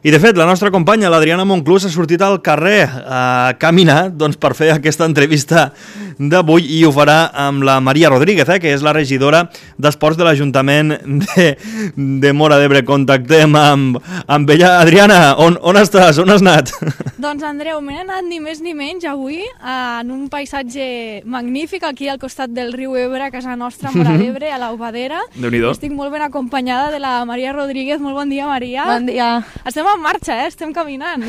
I de fet, la nostra companya, l'Adriana Monclús, ha sortit al carrer a caminar per fer aquesta entrevista d'avui i ho farà amb la Maria Rodríguez, que és la regidora d'Esports de l'Ajuntament de Móra d'Ebre. Contactem amb ella. Adriana, on estàs? On has anat? Doncs Andreu, m'he anat ni més ni menys avui en un paisatge magnífic aquí al costat del riu Ebre, a casa nostra, a Móra d'Ebre, a l'Aubadera. Déu-n'hi-do. Estic molt ben acompanyada de la Maria Rodríguez. Molt bon dia, Maria. Bon dia. Estem en marxa, estem caminant.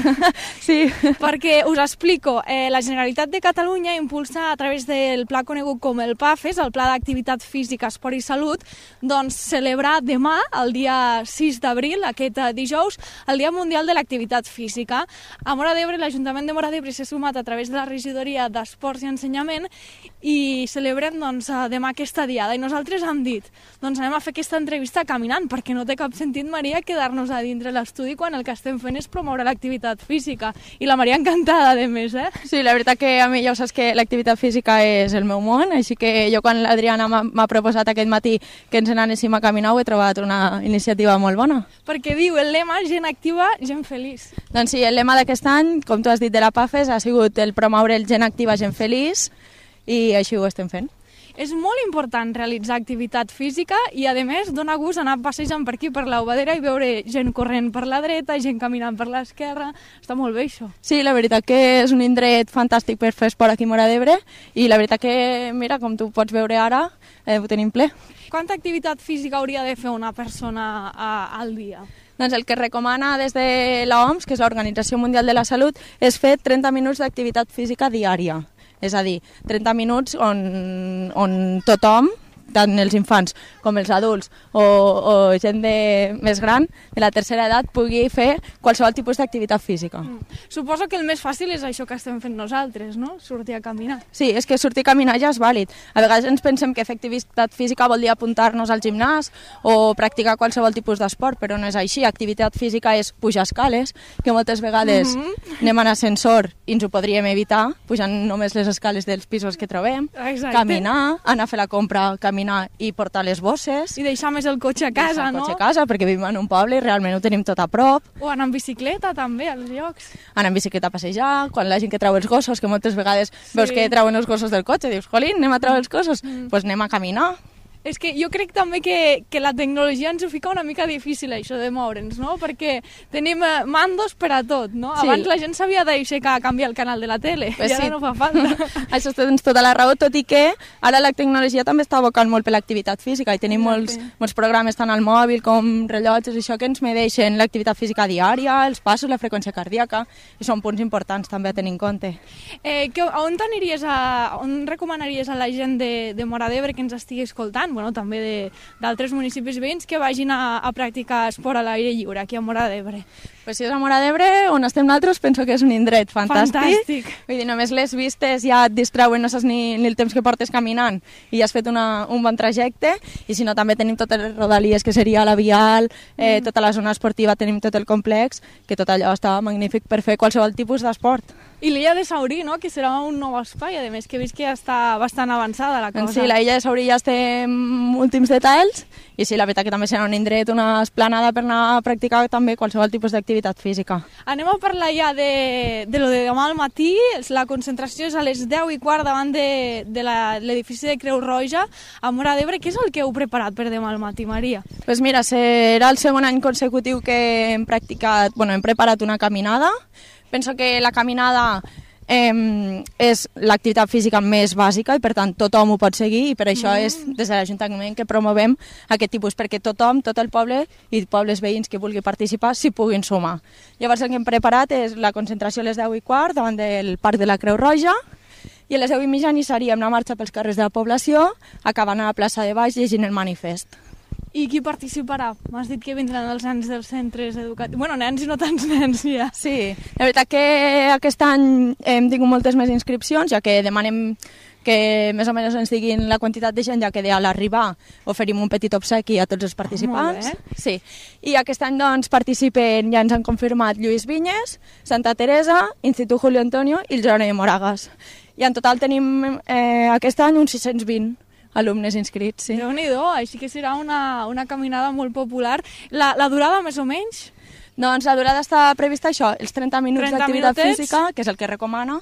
Sí. Perquè us explico, la Generalitat de Catalunya impulsa a través del pla conegut com el PAFES, el Pla d'Activitat Física, Esport i Salut, doncs celebrar demà, el dia 6 d'abril, aquest dijous, el Dia Mundial de l'Activitat Física. A Móra d'Ebre, l'Ajuntament de Móra d'Ebre s'ha sumat a través de la Regidoria d'Esports i Ensenyament i celebrem demà aquesta diada. I nosaltres hem dit, anem a fer aquesta entrevista caminant, perquè no té cap sentit, Maria, quedar-nos a dintre l'estudi quan el que estem fent és promoure l'activitat física. I la Maria encantada, a més, Sí, la veritat que a mi ja ho saps que l'activitat física és el meu món, així que jo quan l'Adriana m'ha proposat aquest matí que ens n'anéssim a caminar ho he trobat una iniciativa molt bona. Perquè diu el lema gent activa, gent feliç. Doncs sí, el lema d'aquest any, com tu has dit de la PAFES, ha sigut el promoure el gent activa, gent feliç, i així ho estem fent. És molt important realitzar activitat física i, a més, dona gust anar passejant per aquí, per l'Aubadera, i veure gent corrent per la dreta, gent caminant per l'esquerra. Està molt bé, això. Sí, la veritat que és un indret fantàstic per fer esport aquí a Móra d'Ebre i la veritat que, mira, com tu pots veure ara, ho tenim ple. Quanta activitat física hauria de fer una persona al dia? Doncs el que recomana des de l'OMS, que és l'Organització Mundial de la Salut, és fer 30 minuts d'activitat física diària. És a dir, 30 minuts on tothom, tant els infants com els adults o gent més gran, de la tercera edat, pugui fer qualsevol tipus d'activitat física. Suposo que el més fàcil és això que estem fent nosaltres, no? Sortir a caminar. Sí, és que sortir a caminar ja és vàlid. A vegades ens pensem que fer activitat física vol dir apuntar-nos al gimnàs o practicar qualsevol tipus d'esport, però no és així. Activitat física és pujar escales, que moltes vegades anem en ascensor i ens ho podríem evitar, pujant només les escales dels pisos que trobem. Exacte. Caminar, anar a fer la compra, caminar i portar les bosses. I deixar més el cotxe a casa, no? El cotxe a casa, perquè vivim en un poble i realment ho tenim tot a prop. O anar en bicicleta, també, als llocs. Anar en bicicleta a passejar, quan la gent que trau els gossos, que moltes vegades veus que trauen els gossos del cotxe, dius, jolín, anem a treure els gossos, doncs anem a caminar. És que jo crec també que la tecnologia ens ho fica una mica difícil, això de moure'ns, no? Perquè tenim mandos per a tot, no? Sí. Abans la gent s'havia d'aixecar a canviar el canal de la tele, Pues i ara sí. no fa falta. Això tens tota la raó, tot i que ara la tecnologia també està abocant molt per l'activitat física i tenim molts programes tant al mòbil com rellotges, això que ens medeixen l'activitat física diària, els passos, la freqüència cardíaca, i són punts importants també a tenir en compte. On recomanaries a la gent de Móra d'Ebre que ens estigui escoltant, bueno, també d'altres municipis veïns, que vagin a practicar esport a l'aire lliure aquí a Móra d'Ebre? Pues si és a Móra d'Ebre, on estem nosaltres, penso que és un indret Fantàstic. Vull dir, només les vistes ja et distreuen, no saps ni el temps que portes caminant i ja has fet un bon trajecte, i si no també tenim totes les rodalies, que seria la Vial, tota la zona esportiva, tenim tot el complex, que tot allò està magnífic per fer qualsevol tipus d'esport. I l'illa de Saurí, no?, que serà un nou espai, a més, que he vist que ja està bastant avançada la cosa. Sí, la illa de Saurí ja estem últims detalls, i sí, la veritat que també serà un indret, una esplanada per anar a practicar també qualsevol tipus d'activitat física. Anem a parlar ja de lo de demà al matí. La concentració és a les 10:15 davant de l'edifici de Creu Roja a Móra d'Ebre. Què és el que heu preparat per demà al matí, Maria? Pues mira, serà el segon any consecutiu que hem preparat una caminada. Penso que la caminada és l'activitat física més bàsica i per tant tothom ho pot seguir, i per això és des de l'Ajuntament que promovem aquest tipus, perquè tothom, tot el poble i pobles veïns que vulgui participar s'hi puguin sumar. Llavors el que hem preparat és la concentració a les 10:15 davant del Parc de la Creu Roja, i a les 10:30 iniciaríem la marxa pels carrers de la població, acabant a la plaça de Baix llegint el manifest. I qui participarà? M'has dit que vindran els nens dels centres educatius. Bueno, nens i no tants nens, ja. Sí, la veritat que aquest any hem tingut moltes més inscripcions, ja que demanem que més o menys ens diguin la quantitat de gent, ja que a l'arribar oferim un petit obsequi a tots els participants. Molt bé. Sí. I aquest any doncs participen, ja ens han confirmat, Lluís Vinyes, Santa Teresa, Institut Julio Antonio i el Jeroni de Moragas. I en total tenim aquest any uns 620 alumnes inscrits, sí. Déu-n'hi-do, així que serà una caminada molt popular. La durada, més o menys? Doncs la durada està prevista això, els 30 minuts 30 d'activitat minutets. física, que és el que recomana,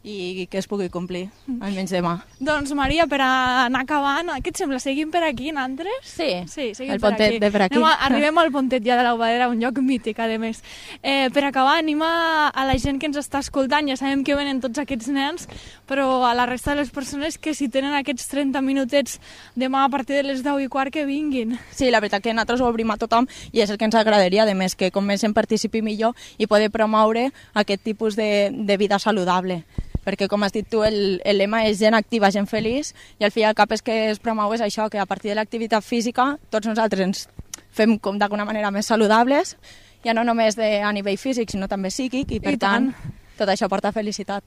i que es pugui complir, almenys demà. Doncs, Maria, per anar acabant, què et sembla? Seguim per aquí, nosaltres? Sí, seguim el pontet de per aquí. Arribem al pontet ja de l'Obadera, un lloc mític, a més. Per acabar, anima a la gent que ens està escoltant, ja sabem que venen tots aquests nens, però a la resta de les persones que si tenen aquests 30 minutets demà a partir de les 10:15 que vinguin. Sí, la veritat que nosaltres ho obrim a tothom i és el que ens agradaria, a més que com més en participi millor i poder promoure aquest tipus de vida saludable. Perquè, com has dit tu, el lema és gent activa, gent feliç, i al fi i al cap és que es promou és això, que a partir de l'activitat física tots nosaltres ens fem d'alguna manera més saludables, ja no només a nivell físic, sinó també psíquic, i per tant tot això porta felicitat.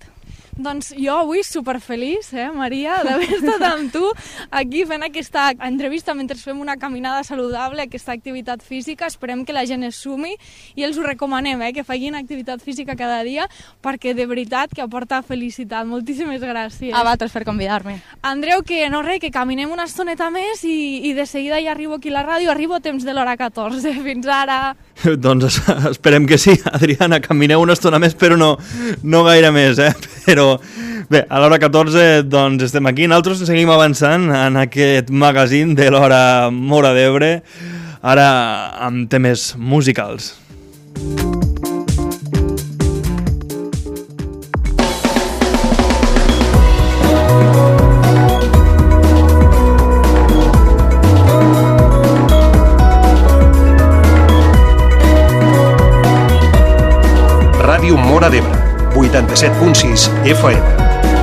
Doncs jo avui superfeliç, Maria, d'haver estat amb tu aquí fent aquesta entrevista mentre fem una caminada saludable, aquesta activitat física. Esperem que la gent es sumi i els ho recomanem, que facin activitat física cada dia perquè de veritat que aporta felicitat. Moltíssimes gràcies. A vosaltres per convidar-me. Andreu, que caminem una estoneta més i de seguida ja arribo aquí a la ràdio, arribo a temps de l'hora 14. Fins ara. Doncs esperem que sí, Adriana, camineu una estona més, però no gaire més, Però bé, a l'hora 14 doncs estem aquí. Nosaltres seguim avançant en aquest magazín de l'hora Móra d'Ebre, ara amb temes musicals. Ràdio Móra d'Ebre, 87.6 FM.